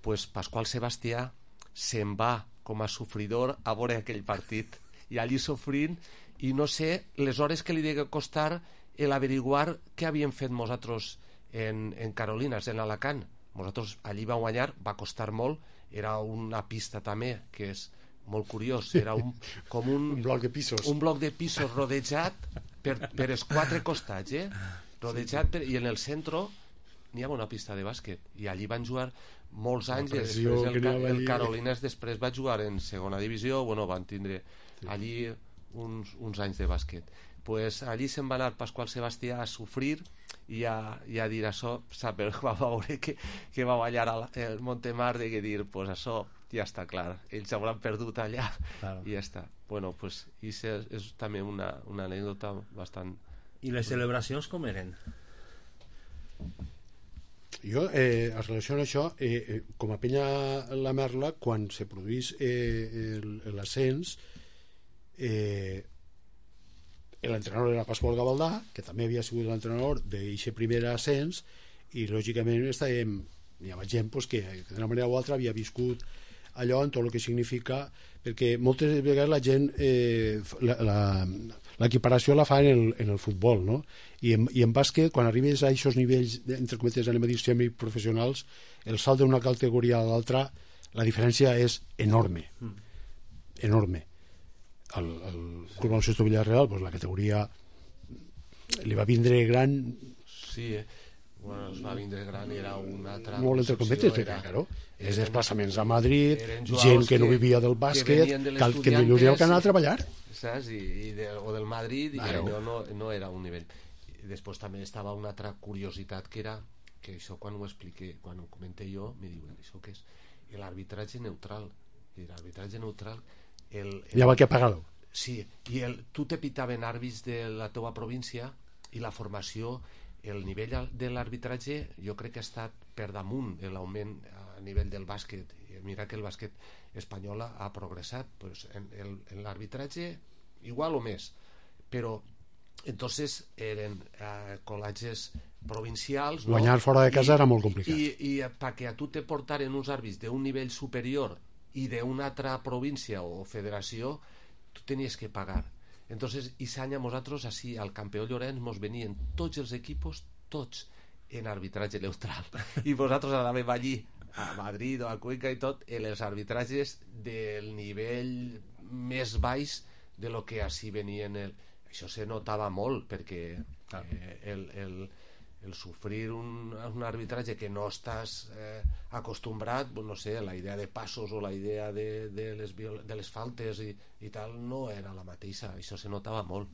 Speaker 4: Pues Pasqual Sebastià se'n va com a sofridor a veure aquell partit i allí sofrint, i no sé les hores que li degué costar l'averiguar què havíem fet nosaltres en Carolinas, en Alacant. Nosaltres allí vam guanyar, va costar molt, era una pista també que és molt curiós, era com un
Speaker 3: bloc de pisos
Speaker 4: rodejat per els quatre costats, rodejat i en el centre n'hi havia una pista de bàsquet i allí van jugar molts anys, i després el Carolinas després va jugar en segona divisió, bueno, van tindre allí uns anys de bàsquet. Pues allí se'n va anar Pasqual Sebastià a sofrir i a dir això, saber, va veure que va ballar el Montemar, de dir, pues això ja està clar, ells hauran perdut allà, claro. I ja està. Bueno, pues és també una anècdota bastant...
Speaker 1: I les celebracions com eren?
Speaker 3: Jo, en relació amb això, com a penya la Merla, quan se produís l'ascens, l'entrenador era Pasqual Gavaldà, que també havia sigut l'entrenador d'aquest primer ascens, i lògicament hi havia gent que d'una manera o altra havia viscut allò en tot el que significa, perquè moltes vegades la gent l'equiparació la fa en el futbol, no? I en bàsquet, quan arribes a aquests nivells, entre cometes, anem a dir semiprofessionals, el salt d'una categoria a l'altra, la diferència és enorme, enorme. El Club Baloncesto Villarreal, pues la categoria li va vindre gran,
Speaker 4: sí, bueno, es va vindre gran, era una altra
Speaker 3: molt entre cometes, claro, els desplaçaments a Madrid, gent que no vivia del bàsquet, que millor que anar a treballar,
Speaker 4: saps? O del Madrid, claro. I no era un nivell. I després també estava una altra curiositat, que era que això quan ho expliqué, quan ho comenté jo, me diuen, això què és? L'arbitratge neutral. I l'arbitratge neutral
Speaker 3: ja va que pagar-lo.
Speaker 4: Sí, i tu te pitaven àrbits de la teua província i la formació, el nivell de l'arbitratge jo crec que ha estat per damunt l'augment a nivell del bàsquet. Mira que el bàsquet espanyol ha progressat, pues en l'arbitratge igual o més, però entonces eren col·legis provincials, no?
Speaker 3: Guanyar fora de casa era molt complicat,
Speaker 4: i perquè a tu te portaren uns àrbits d'un nivell superior i d'una altra província o federació, tu tenies que pagar. Entonces, aquest any a nosaltres, així, al Campeó Llorenç, mos venien tots els equipos, tots, en arbitratge neutral. I nosaltres anàvem allí, a Madrid o a Cuenca i tot, en els arbitratges del nivell més baix de lo que així venien. Això se notava molt, perquè el sofrir un arbitratge que no estàs acostumbrat, no sé, la idea de passos o la idea de les faltes i tal no era la mateixa, això se notava molt.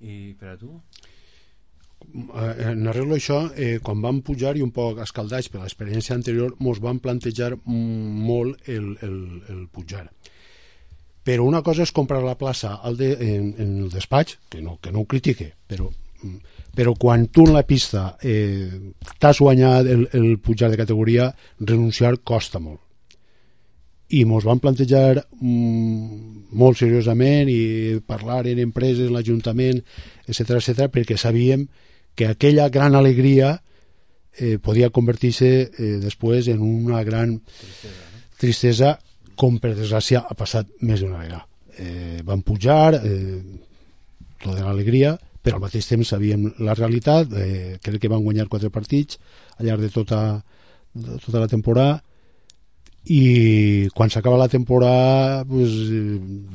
Speaker 1: I per a tu?
Speaker 3: En arreglo això, quan vam pujar i un poc escaldats per l'experiència anterior, mos vam plantejar molt el pujar. però una cosa és comprar la plaça en el despatx, que no ho critique, però quan tu en la pista t'has guanyat el pujar de categoria, renunciar costa molt. I mos van plantejar molt seriosament i parlar en empreses, en l'Ajuntament, etc., perquè sabíem que aquella gran alegria podia convertir-se després en una gran tristesa, com per desgràcia ha passat més d'una vegada. Van pujar, tota l'alegria, però al mateix temps sabíem la realitat. Crec que van guanyar 4 partits al llarg de tota la temporada, i quan s'acaba la temporada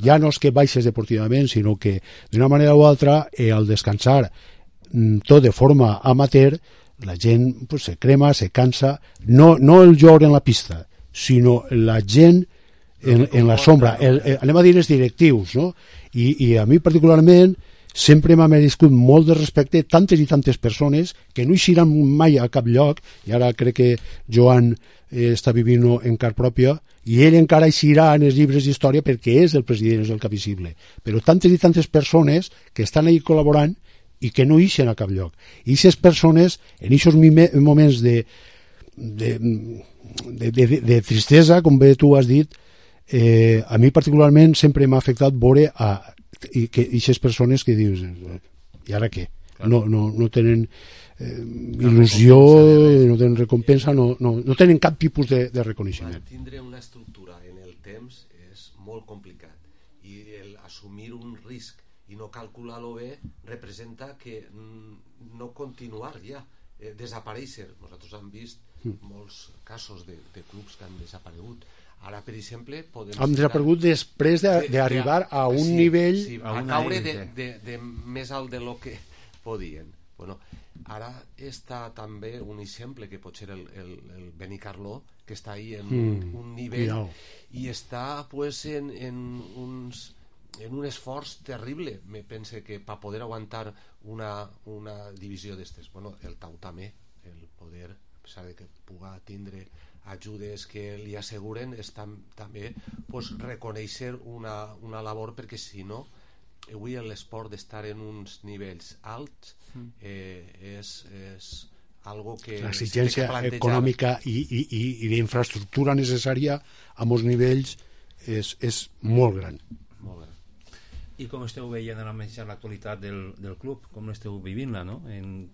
Speaker 3: ja no és que baixes deportivament, sinó que d'una manera o altra al descansar tot de forma amateur la gent se crema, se cansa, no el jugador en la pista, sinó la gent en la sombra, anem a dir els directius, no? I a mi particularment sempre m'ha merescut molt de respecte tantes i tantes persones que no eixiran mai a cap lloc, i ara crec que Joan està vivint en car pròpia, i ell encara eixirà en els llibres d'història perquè és el president, és el cap visible, però tantes i tantes persones que estan ahí col·laborant i que no eixen a cap lloc. I aquestes persones, en aquests moments de tristesa, com bé tu has dit, a mi particularment sempre m'ha afectat veure aquestes persones que dius, i ara què? No tenen il·lusió, no tenen recompensa, no tenen cap tipus de reconeixement.
Speaker 4: Tindre una estructura en el temps és molt complicat, i assumir un risc i no calcular-lo bé representa que no continuar ja, desaparèixer. Nosaltres hem vist molts casos de clubs que han desaparegut. Ara, per exemple,
Speaker 3: hem desaparegut després d'arribar a un nivell...
Speaker 4: Sí, a caure de més alt de lo que podien. Bueno, ara està també un exemple que pot ser el Benicarló, que està ahí en un nivell i està pues en un esforç terrible. Me pense que per poder aguantar una divisió d'estes, bueno, el Tau també, el poder, a pesar de que puga tindre ajudes que li asseguren, és també pues, reconèixer una labor, perquè si no avui l'esport d'estar en uns nivells alts és algo que
Speaker 3: l'exigència econòmica i d'infraestructura necessària a molts nivells és molt gran.
Speaker 1: I com esteu veient ara mateix l'actualitat del club? Com esteu vivint-la, no? En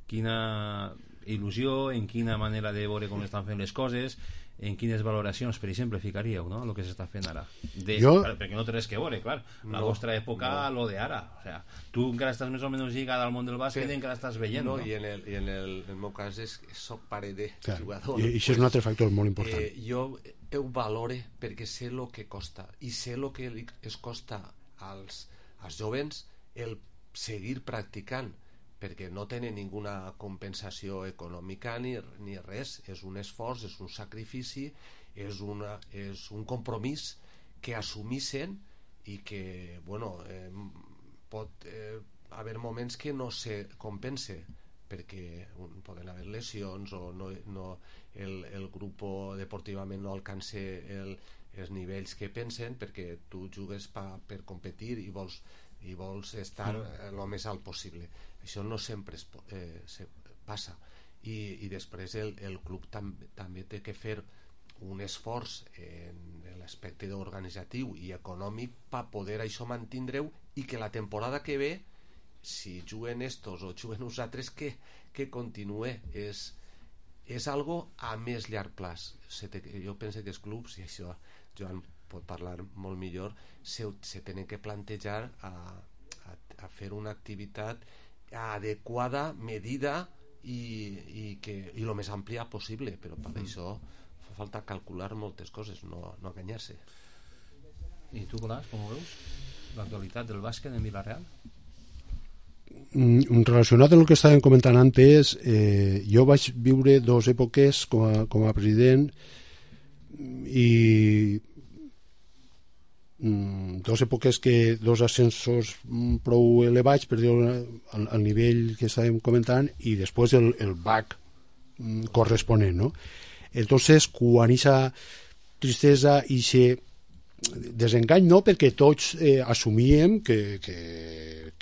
Speaker 1: quina il·lusió, en quina manera de veure com estan fent les coses, en quines valoracions, per exemple, ficaríeu, no?, el que s'està fent ara. Perquè no té res que veure, clar. La vostra època, lo de ara. O sea, tu encara estàs més o menys lligada al món del bàsquet i encara estàs veient, no?
Speaker 4: I en el meu cas soc pare de jugador.
Speaker 3: I això és un altre factor molt important.
Speaker 4: Jo ho valore perquè sé el que costa, i sé el que es costa als jovens el seguir practicant, perquè no tenen ninguna compensació econòmica ni res. És un esforç, és un sacrifici, és un compromís que assumissen, i que pot haver moments que no se compense, perquè poden haver lesions o el grup deportivament no alcança els nivells que pensen, perquè tu jugues per competir i vols estar el més alt possible. Això no sempre passa, i després el club també té que fer un esforç en l'aspecte organitzatiu i econòmic per poder això mantindre-ho, i que la temporada que ve, si juguen estos o juguen uns altres, que continue. És algo a més llarg plaç. Jo penso que els clubs, i això Joan pot parlar molt millor, se tenen que plantejar a fer una activitat adequada, medida i el més àmplia possible, però per això fa falta calcular moltes coses, no enganyar-se.
Speaker 1: I tu, Colàs, com ho veus? L'actualitat del bàsquet en Vila-real?
Speaker 3: Relacionat amb el que estàvem comentant antes, jo vaig viure 2 èpoques com a president, i 2 èpoques que 2 ascensos prou elevats, per dir-ho al nivell que estàvem comentant, i després el back corresponent, no? Entonces, quan aquesta tristesa i desengany no, perquè tots assumíem que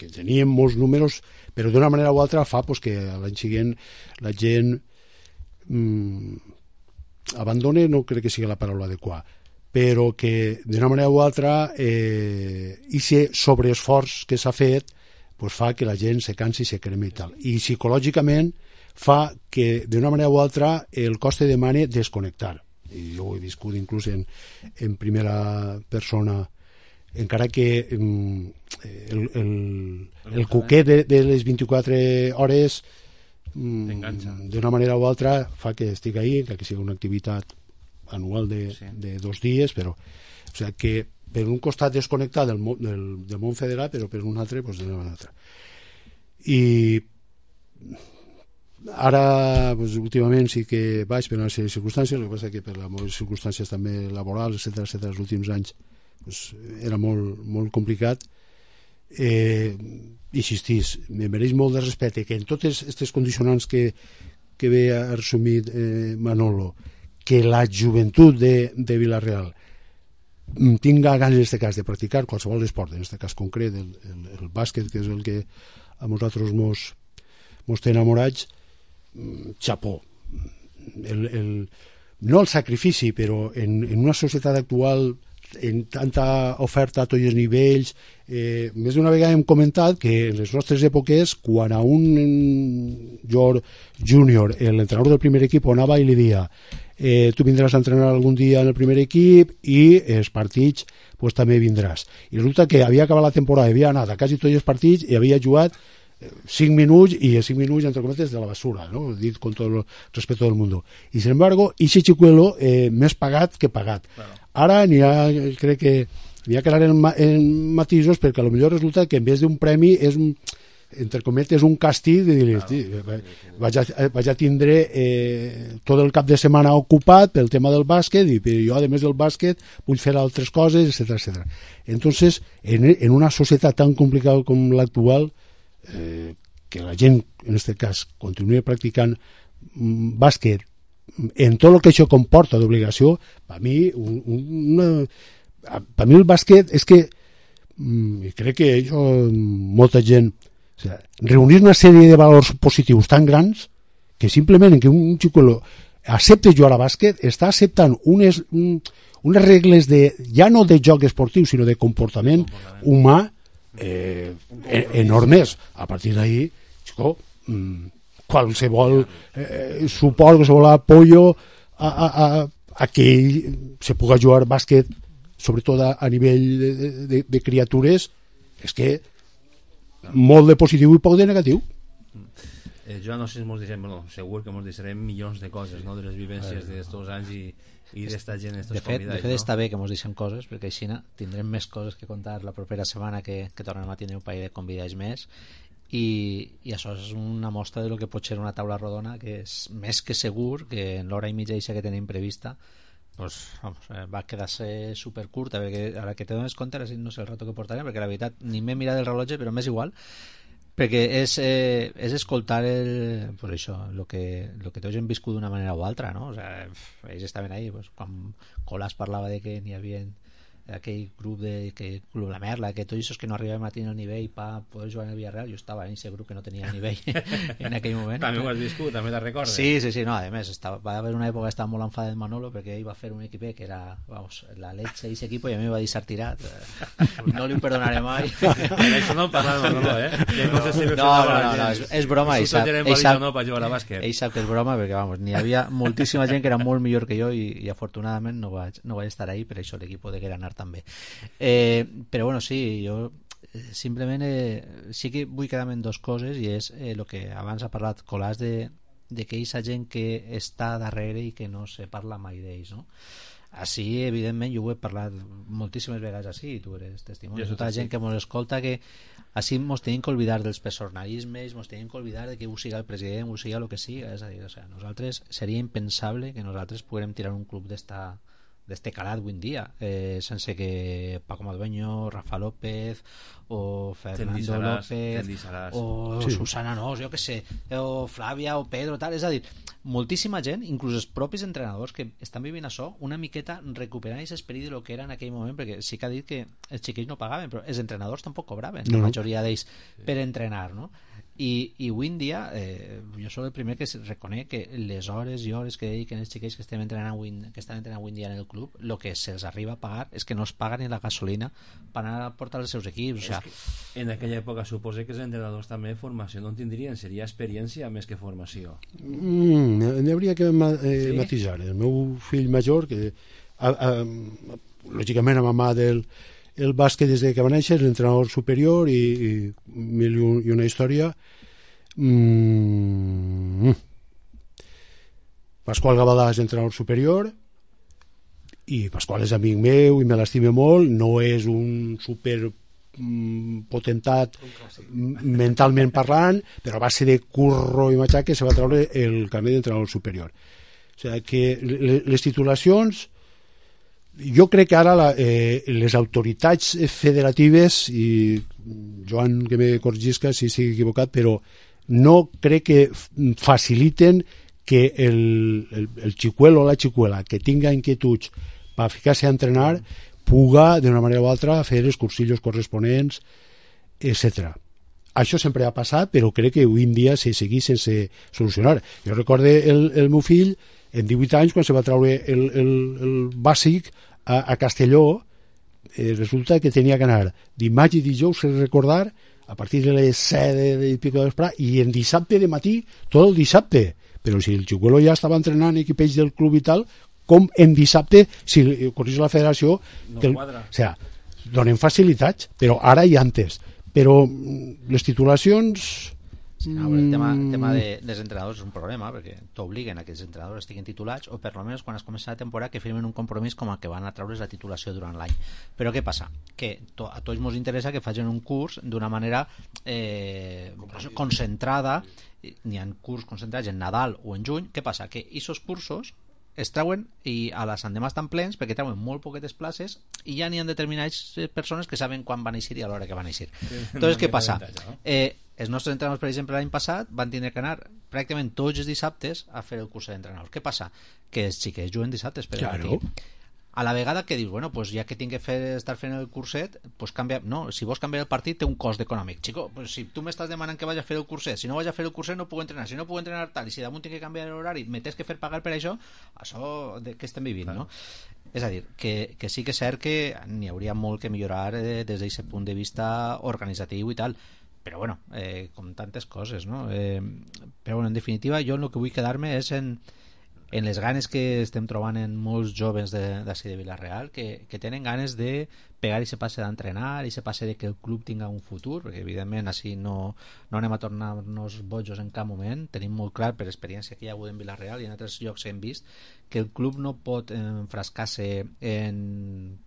Speaker 3: teníem molts números, però d'una manera o altra fa pues, que l'any següent la gent abandone, no crec que sigui la paraula adequada, però que d'una manera o altra aquest sobreesforç que s'ha fet pues, fa que la gent se cansi i se cremi i tal. I psicològicament fa que d'una manera o altra el coste demane desconnectar. I jo ho he viscut inclús en primera persona, encara que el cuquet de les 24 hores d'una manera o altra fa que estic ahí, que sigui una activitat anual de 2 dies, però o sigui que per un costat desconnectat del món federal, però per un altre pues, d'una manera altra. I ara pues, últimament sí que vaig per una sèrie de circumstàncies, el que passa que per les circumstàncies també laborals, etcètera, els últims anys pues, era molt complicat. Insistís, me mereix molt de respecte que en totes aquestes condicionants que ve a resumir Manolo, que la joventut de Vila-real tinga ganes en aquest cas de practicar qualsevol esport, en aquest cas concret el bàsquet, que és el que a nosaltres mos té enamorats, xapó. No el sacrifici, però en una societat actual en tanta oferta a tots els nivells, més d'una vegada hem comentat que en les nostres èpoques, quan a un júnior, l'entrenador del primer equip anava i li deia tu vindràs a entrenar algun dia en el primer equip i els partits pues, també vindràs. I resulta que havia acabat la temporada, havia anat a quasi tots els partits i havia jugat 5 minuts i 5 minuts entre cometes de la basura, ¿no? Dit con todo el respeto del mundo. Y sin embargo, ese chicuelo més pagat que pagat. Claro. Ara crec que n'hi ha que anar en matisos perquè potser resulta que en vez d'un premi és entre cometes un càstig de dir, vaig a tindre tot el cap de setmana ocupat pel tema del bàsquet i jo a més del bàsquet vull fer altres coses, etc. Entonces, en una societat tan complicada com l'actual, que la gent, en aquest cas, continuï practicant bàsquet en tot el que això comporta d'obligació, per mi el bàsquet és que crec que molta gent reunir una sèrie de valors positius tan grans que simplement que un xicuelo accepte jugar a bàsquet està acceptant unes regles ja no de joc esportiu sinó de comportament humà enormes. A partir d'ahí qualsevol suport, qualsevol apoyo a que se puga jugar bàsquet sobretot a nivell de criatures és que molt de positiu i poc de negatiu.
Speaker 1: Jo no sé si segur que ens deixarem milions de coses, no? De les vivències d'estos anys i d'esta gent, estos convidats.
Speaker 2: De fet està bé que ens deixem coses, perquè així tindrem més coses que contar la propera setmana, que tornem a tindre un parell de convidats més, i això és una mostra de lo que pot ser una taula rodona, que és més que segur que en l'hora i mitja que tenim prevista pues, va quedar-se supercurta, perquè ara que te dones compte no sé el rato que portarem, perquè la veritat ni m'he mirat el rellotge, però m'és igual, perquè és escoltar pues això, lo que tots hem viscut d'una manera o altra, no? O sea, ells estaven ahí pues, quan Colàs parlava de que n'hi havia aquell grup Club La Merla, que tots els que no arribàvem a tenir el nivell per poder jugar en el Villarreal, jo estava en aquest grup que no tenia el nivell en aquell moment.
Speaker 1: També ho has viscut, també te'n recordes?
Speaker 2: Sí, no, a més va haver una època que estava molt enfadat Manolo perquè ell va fer un equip que era la leche i ese equipo i a mi va deixar tirat, no li ho perdonaré mai.
Speaker 1: Això no parla de Manolo,
Speaker 2: no, és broma, ell sap
Speaker 1: que
Speaker 2: és broma perquè n'hi havia moltíssima gent que era molt millor que jo i afortunadament no vaig estar ahí, per això l'equip de que era anar també. Però bueno, sí, jo simplement sí que vull quedar-me en dues coses i és el que abans ha parlat Colàs de que aquesta gent que està darrere i que no se parla mai d'ells, no? Així, evidentment, jo ho he parlat moltíssimes vegades així, tu eres testimoni, tota la gent que ens escolta, que així ens tenim que oblidar dels personalismes, ens tenim que oblidar de que ho siga el president, ho siga el que siga, és a dir, nosaltres seria impensable que nosaltres puguem tirar un club d'este calat avui en dia, sense que Paco Madueño, Rafa López o Fernando López o Susana Nos, jo que sé, o Flàvia o Pedro, tal, és a dir, moltíssima gent, inclús els propis entrenadors que estan vivint això, una miqueta recuperant aquest esperit de lo que era en aquell moment, perquè sí que ha dit que els xiquills no pagaven, però els entrenadors tampoc cobraven, la majoria d'ells per entrenar, no? I avui en dia jo soc el primer que reconec que les hores i hores que dediquen els xiquets que estan entrenant avui en dia en el club, el que se'ls arriba a pagar és que no es paga ni la gasolina per anar a portar els seus equips. O sigui,
Speaker 1: en aquella època suposo que els entrenadors també formació no en tindrien, seria experiència més que formació.
Speaker 3: N'hi hauria que matisar. El meu fill major, que lògicament a mà del el bàsquet des que va néixer, l'entrenador superior i mil i una història. Pasqual Gavaldà és entrenador superior i Pasqual és amic meu i me l'estime molt, no és un super potentat mentalment parlant, però a base de curro i matxaque se va treure el carnet d'entrenador superior. O sigui que les titulacions, jo crec que ara les autoritats federatives, i Joan que me corregisca si estic equivocat, però no crec que faciliten que el xicuelo o la xicuela que tinga inquietuds per ficar-se a entrenar puga d'una manera o altra fer els cursillos corresponents, etc. Això sempre ha passat, però crec que avui en dia se segueix sense solucionar. Jo recorde el meu fill en 18 anys, quan se va treure el bàsic a Castelló, resulta que tenia que anar dimarts i dijous, recordar, a partir de les 7 i pico de vesprà, i en dissabte de matí, tot el dissabte. Però si el xicuelo ja estava entrenant equipells del club i tal, com en dissabte, si correix la federació,
Speaker 1: no quadra.
Speaker 3: O sigui, donen facilitats, però ara i antes. Però les titulacions...
Speaker 2: No, el tema dels entrenadors és un problema, perquè t'obliguen a que els entrenadors estiguin titulats, o per almenys quan es comença la temporada que firmen un compromís com el que van a treure's la titulació durant l'any. Però què passa? Que a tots ens interessa que facin un curs d'una manera concentrada. N'hi ha curs concentrats en Nadal o en juny. Què passa? Que aquests cursos es treuen i a la Sant Demà estan plens perquè treuen molt poquetes places i ja n'hi ha determinades persones que saben quan van eixir i a l'hora que van eixir. Entonces, què passa? Els nostres entrenadors, per exemple, l'any passat van tenir que anar pràcticament tots els dissabtes a fer el curs d'entrenadors. Què passa? Que els xiquets juguen dissabtes per
Speaker 3: claro.
Speaker 2: A la vegada que dius, bueno, pues ja que tinc que estar fent el curset, pues canvia. No, si vols canviar el partit té un cost econòmic. Chico, pues si tu m'estàs demanant que vaig a fer el curset, si no vaig a fer el curset no puc entrenar, si no puc entrenar tal, i si damunt tinc que canviar l'horari, me tens que fer pagar per això de què estem vivint, no? És a dir, que sí que és cert que n'hi hauria molt que millorar des d'aquest punt de vista organitzatiu i tal, però bueno, com tantes coses, no? Però bueno, en definitiva, jo el que vull quedar-me és en les ganes que estem trobant en molts joves d'ací de Vila-real que tenen ganes de pegar i se passe d'entrenar i se passe de que el club tinga un futur, perquè evidentment així no anem a tornar-nos bojos en cap moment. Tenim molt clar per experiència que hi ha hagut en Vila-real i en altres llocs hem vist que el club no pot enfrascar-se en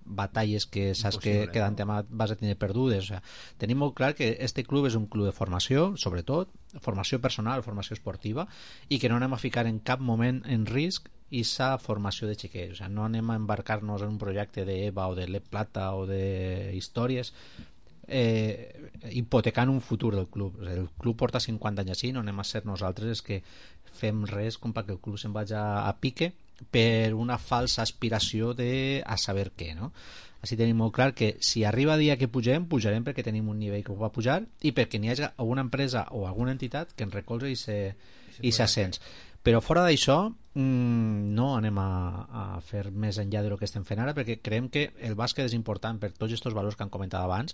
Speaker 2: batalles que saps que d'antemà vas a tenir perdudes. O sigui, tenim molt clar que este club és un club de formació, sobretot formació personal, formació esportiva, i que no anem a ficar en cap moment en risc aquesta formació de xiquets. O sigui, no anem a embarcar-nos en un projecte d'EVA o de l'E Plata o de històries hipotecant un futur del club. O sigui, el club porta 50 anys així, no anem a ser nosaltres que fem res com perquè el club se'n vagi a pique per una falsa aspiració de a saber què, no? Així tenim molt clar que si arriba el dia que pujarem perquè tenim un nivell que ho va pujar i perquè n'hi hagi alguna empresa o alguna entitat que ens recolza i s'ascens. Però fora d'això no anem a fer més enllà del que estem fent ara, perquè creiem que el bàsquet és important per tots aquests valors que han comentat abans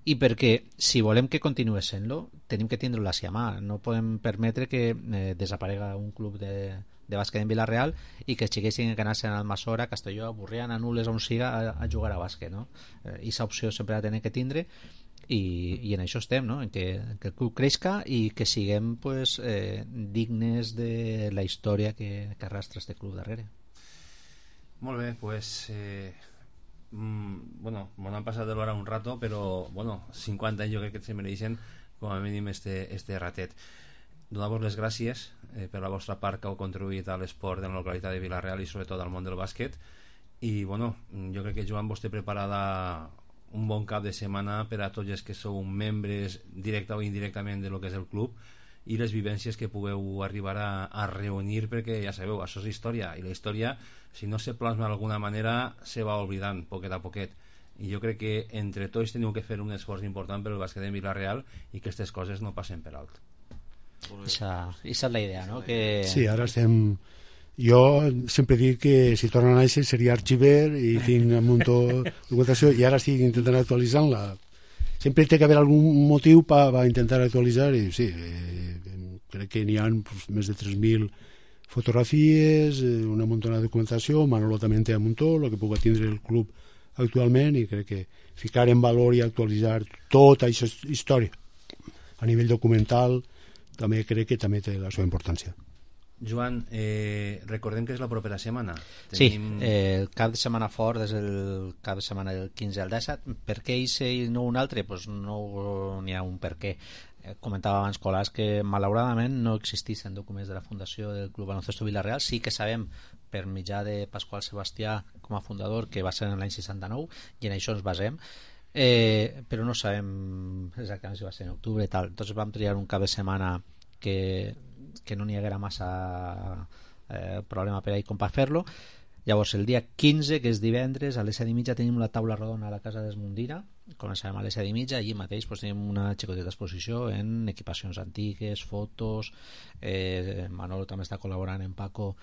Speaker 2: i perquè si volem que continuï sent-lo tenim que tindre-lo a mà. No podem permetre que desaparega un club de bàsquet en Vila-real i que els xiquets tinguin que anar-se a Almassora, a Castelló, a Burriana, a Nules, on siga a jugar a bàsquet, no? I aquesta opció sempre la tenen que tindre i en això estem, no? En que el club creixca i que siguem pues, dignes de la història que arrastra este club darrere.
Speaker 1: Molt bé, pues bueno, m'ho han passat de l'hora un rato, però bueno, 50 anys jo crec que se mereixen com a mínim este ratet. Donar-vos les gràcies per la vostra part que heu contribuït a l'esport de la localitat de Vila-real i sobretot al món del bàsquet, i bueno, jo crec que Joan vos té preparada un bon cap de setmana per a tots els que sou membres directa o indirectament de lo que és el club i les vivències que pugueu arribar a reunir, perquè ja sabeu, això és història, i la història, si no se plasma d'alguna manera, se va oblidant poquet a poquet, i jo crec que entre tots teniu que fer un esforç important per el bàsquet de Vila-real i que aquestes coses no passen per alt.
Speaker 2: Esa és la idea, no? Que...
Speaker 3: Sí, ara estem... Jo sempre dic que si torna a néixer seria arxiver i tinc un munt de documentació i ara estic intentant actualitzar-la. Sempre té que haver algun motiu per intentar actualitzar i sí, crec que n'hi ha pues, més de 3.000 fotografies, una muntona de documentació, Manolo també en té un muntó, el que pugui tindre el club actualment, i crec que ficar en valor i actualitzar tota aquesta història a nivell documental també crec que també té la seva importància.
Speaker 1: Joan, recordem que és la propera setmana.
Speaker 2: Tenim... Sí, el cap de setmana fort és el cap de setmana del 15 al 17. Per què eixe i no un altre? Pues no n'hi ha un per què. Comentava abans Colàs que malauradament no existeixen documents de la fundació del Club Baloncesto Vila-real. Sí que sabem per mitjà de Pasqual Sebastià com a fundador que va ser en l'any 69 i en això ens basem, però no sabem exactament si va ser en octubre i tal. Entonces vam triar un cap de setmana que no n'hi haguera massa problema per ahí com per fer-lo. Llavors el dia 15, que és divendres, a les 7:30 tenim la taula rodona a la casa d'Esmundina. Començarem a les 7:30. Allí mateix pues, tenim una xicoteta exposició en equipacions antigues, fotos. Manolo també està col·laborant en Paco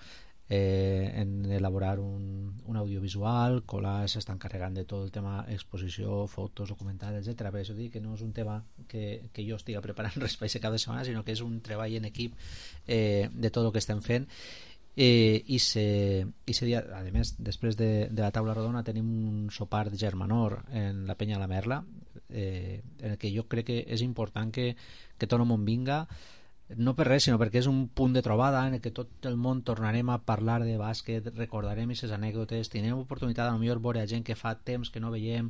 Speaker 2: en elaborar un audiovisual. Colàs s'està encarregant de tot el tema exposició, fotos, documental, etc. Per això dic que no és un tema que jo estigui preparant res per aquest cap de setmana, sinó que és un treball en equip de tot el que estem fent. I ese dia, a més, després de la taula rodona tenim un sopar de germanor en la Penya la Merla, en el que jo crec que és important que tot el món vinga, no per res, sinó perquè és un punt de trobada en el que tot el món tornarem a parlar de bàsquet, recordarem aquestes anècdotes, tindrem oportunitat a millor veure gent que fa temps que no veiem,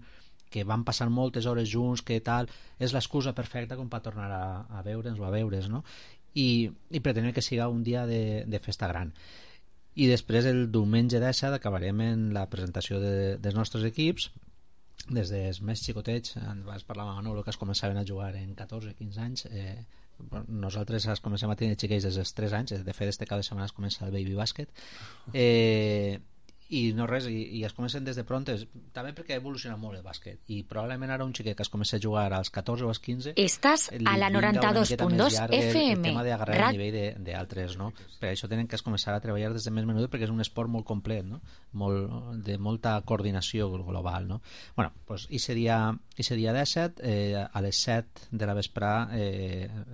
Speaker 2: que van passar moltes hores junts, que tal, és l'excusa perfecta com per tornar a veure'ns o a veure's, no? I pretenem que siga un dia de festa gran. I després el diumenge 17 acabarem en la presentació dels nostres equips, des dels més xicotets. Vas parlar amb Manolo que es començaven a jugar en 14-15 anys. Nosaltres es comencem a tenir xiquets des dels 3 anys. De fet, este cap de setmana es comença el baby bàsquet. I no res, i es comencen des de prontes, també perquè ha evolucionat molt el bàsquet, i probablement ara un xiquet que es comença a jugar als 14 o als 15
Speaker 5: estàs a la 92.2 FM
Speaker 2: el tema d'agarrar el nivell d'altres, no? Per això tenen que es començar a treballar des de més menut, perquè és un esport molt complet, no? De molta coordinació global, no? Bueno, doncs ese dia 17 a les 7 de la vesprà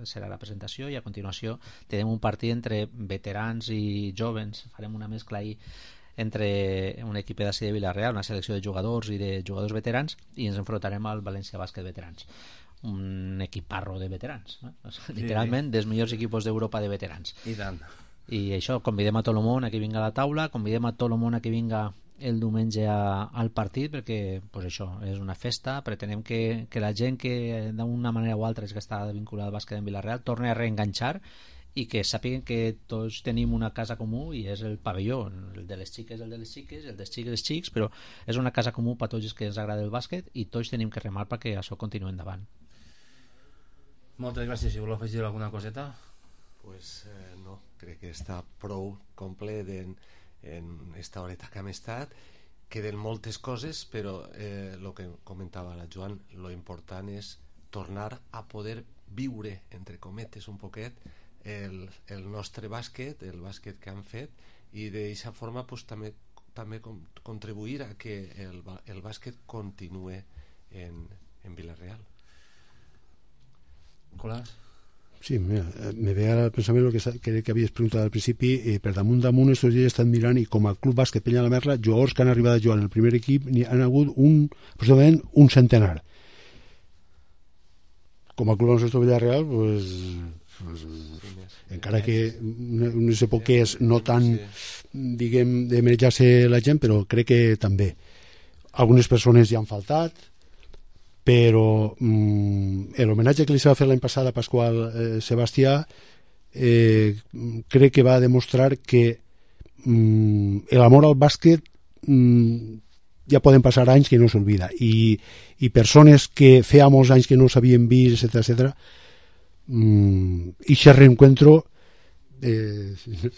Speaker 2: serà la presentació, i a continuació tenim un partit entre veterans i jovens. Farem una mescla ahí entre un equip d'ací de Vila-real, una selecció de jugadors i de jugadors veterans, i ens enfrontarem al València Bàsquet Veterans, un equiparro de veterans, no? Literalment dels millors equipos d'Europa de veterans.
Speaker 1: I tant.
Speaker 2: I això, convidem a tot el món a que vinga a la taula, convidem a tot el món a que vinga el diumenge al partit, perquè pues això és una festa. Pretenem que la gent que d'una manera o altra és que està vinculada al bàsquet en Vila-real torni a reenganxar, i que sàpiguen que tots tenim una casa comú, i és el pavelló. El de les xiques el de les xiques, el dels xics els xics, però és una casa comú per tots els que ens agrada el bàsquet, i tots tenim que remar perquè això continuï endavant.
Speaker 1: Moltes gràcies. Si voleu afegir alguna coseta?
Speaker 4: Pues no, crec que està prou complet en esta horeta que hem estat. Queden moltes coses, però el que comentava la Joan, lo important és tornar a poder viure, entre cometes, un poquet el nostre bàsquet, el bàsquet que han fet, i d'aquesta forma pues, també contribuir a que el bàsquet continue en Vila-real.
Speaker 1: Colàs?
Speaker 3: Sí, mira, me ve al pensament el que havies preguntat al principi. Per damunt estos dies estan mirant, i com a Club Bàsquet Penya la Merla, jugadors que han arribat a jugar en el primer equip n'hi han hagut aproximadament un centenar. Com a Club Baloncesto Vila-real, pues encara que unes èpoques no tan, diguem, de manejar-se la gent, però crec que també algunes persones ja han faltat, però l'homenatge que li s'ha fet l'any passat a Pasqual Sebastià crec que va demostrar que l'amor al bàsquet ja poden passar anys que no s'olvida, i persones que feia molts anys que no s'havien vist, etc., i aquest reencuentro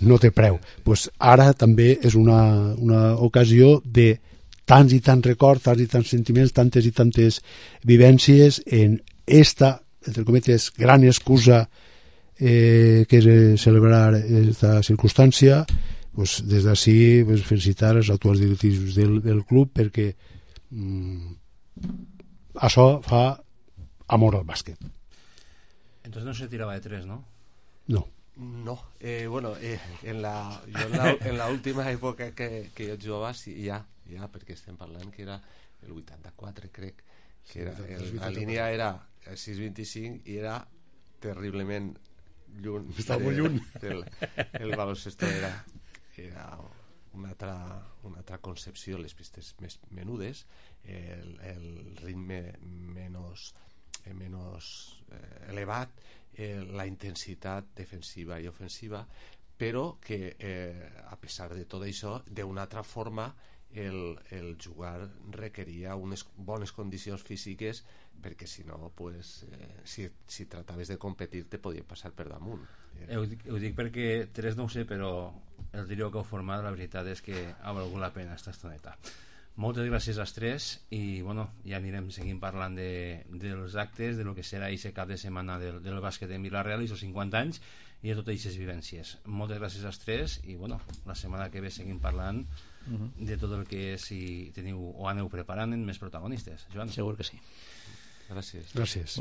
Speaker 3: no té preu. Pues ara també és una ocasió de tants i tants records, tants i tants sentiments, tantes i tantes vivències en esta, entre cometes, gran excusa que és celebrar esta circumstància. Pues des d'ací pues, felicitar els actuals directius del club perquè això fa amor al bàsquet.
Speaker 1: Entonces no se tiraba de 3, ¿no?
Speaker 3: No.
Speaker 4: No, bueno, en la última època que jo jugava, sí, ja, perquè estem parlant que era el 84, crec, que era, la línia era 6.25 i era terriblement lluny.
Speaker 3: Estava molt lluny.
Speaker 4: El baloncesto era una altra concepció, les pistes més menudes, el ritme menys elevat, la intensitat defensiva i ofensiva, però que a pesar de tot això, d'una altra forma el jugar requeria unes bones condicions físiques, perquè si no, pues, si trataves de competir te podia passar per damunt.
Speaker 1: Ho dic perquè 3 no ho sé, però el trio que heu format la veritat és que ha valgut la pena esta estoneta. Moltes gràcies als 3 i bueno, ja anirem seguint parlant dels actes, de lo que serà aquest cap de setmana del bàsquet en Vila-real i els 50 anys i de totes aquestes vivències. Moltes gràcies als 3 i bueno, la setmana que ve seguim parlant de tot el que és, si teniu o aneu preparant en més protagonistes. Joan?
Speaker 2: Segur que sí.
Speaker 4: Gràcies.
Speaker 3: Gràcies.